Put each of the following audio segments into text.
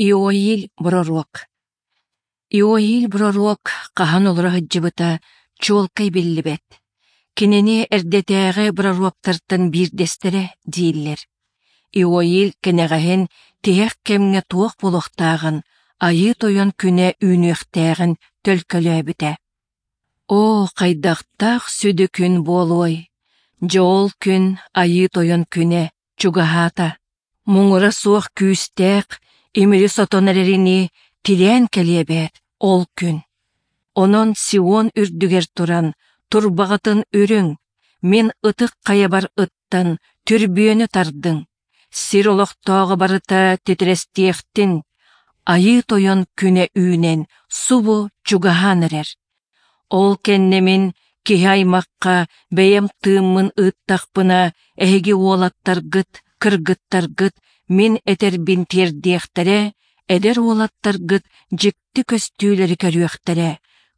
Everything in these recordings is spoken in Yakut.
Иоиль пророк Иоиль пророк хаһан олоро сылдьыбыта чуолкай биллибэт. Кинини эрдэтээҕи пророктартан биирдэстэрэ дииллэр. Иоиль кэнэҕэһин тиһэх кэмҥэ туох буолуохтааҕын Айыы Тойон күнэ үүнүөхтээҕин төлкөлөөбүтэ. Оо, хайдахтаах сүдү күн буолуой! Дьэ ол күн Айыы Тойон күнэ чугаһаата. Муҥура суох күүстээх, имири сотон эрэринии тирээн кэлиэ эбээт ол күн. Онон Сион үрдүгэр туран, турбаҕытын үрүҥ, мин ытык хайабар ыттан, түрбүөнү тардыҥ. Сир олохтооҕо барыта титирэстиэхтин, Айыы Тойон күнэ үүнэн субу чугаһаан эрэр. Ол кэннэ мин киһи аймахха бэйэм тыыммын ыыттахпына, эһиги уолаттаргыт, кыргыттаргыт мин этэрбин тиэрдиэхтэрэ, эдэр уолаттаргыт дьикти көстүүлэри көрүөхтэрэ,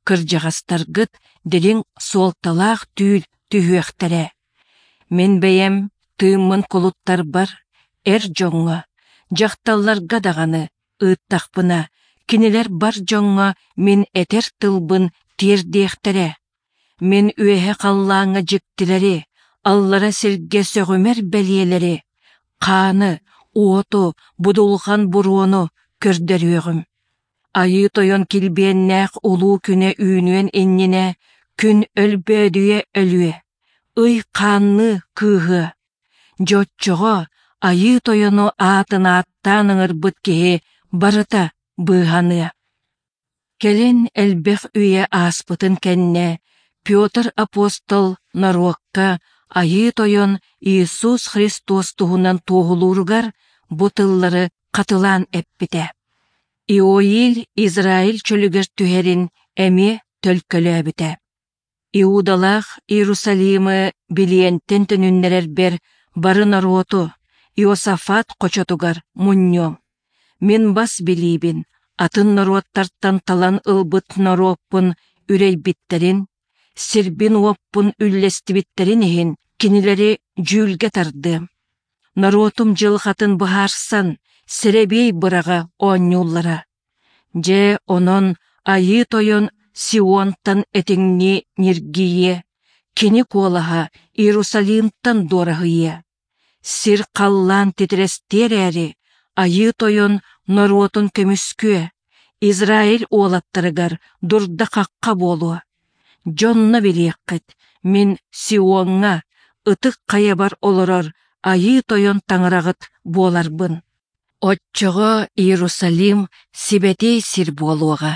кырдьаҕастаргыт дириҥ суолталаах түүл түһүөхтэрэ. Мин бэйэм тыыммын кулуттарбар, эр дьоҥҥо, дьахталларга даҕаны ыыттахпына, кинилэр бар дьоҥҥо мин этэр тылбын тиэрдиэхтэрэ. Мин үөһэ халлааҥҥа дьиктилэри, аллара сиргэ сөҕүмэр бэлиэлэри, хааны, уоту, будулҕан буруону көрдөрүөҕүм. Айыы Тойон килбиэннээх улуу күнэ үүнүөн иннинэ күн өлбөөдүйэ өлүө, ый хаанныы кыыһыа. Дьэ оччоҕо Айыы Тойону аатын ааттаан ыҥырбыт киһи барыта быыһаныа. Кэлин элбэх үйэ ааспытын кэннэ Петр апостол норуокка Айыы Тойон Иисус Христос туһунан туоһулууругар бу тыллары хатылаан эппитэ. Иоиль Израиль чөлүгэр түһэрин эмиэ төлкөлөөбүтэ. Иудалаах Иерусалимы билиэнтэн төнүннэрэрбэр бары норуоту Иосафат хочотугар мунньуом. Мин бас билиибин атын норуоттартан талан ылбыт норуоппун үрэйбиттэрин, сирбин-уоппун үллэстибиттэрин иһин кинилэри дьүүлгэ тардыам. Норуотум дьылҕатын быһаарсан, сэрэбиэй быраҕа оонньууллара. Дьэ, онон Айыы Тойон Сионтан этиҥнии ньиргийиэ, кини куолаһа Иерусалимтан дуораһыйыа. Сир-халлаан титирэстиэ эрээри, Айыы Тойон норуотун көмүскүө, Израиль уолаттарыгар дурда-хахха буолуо. Дьонно билиэххит, мин Сиоҥҥа, ытык хайабар олорор Айыы Тойон Таҥараҕыт буоларбын. Оччоҕо Иерусалим сибэтиэй сир буолуоҕа.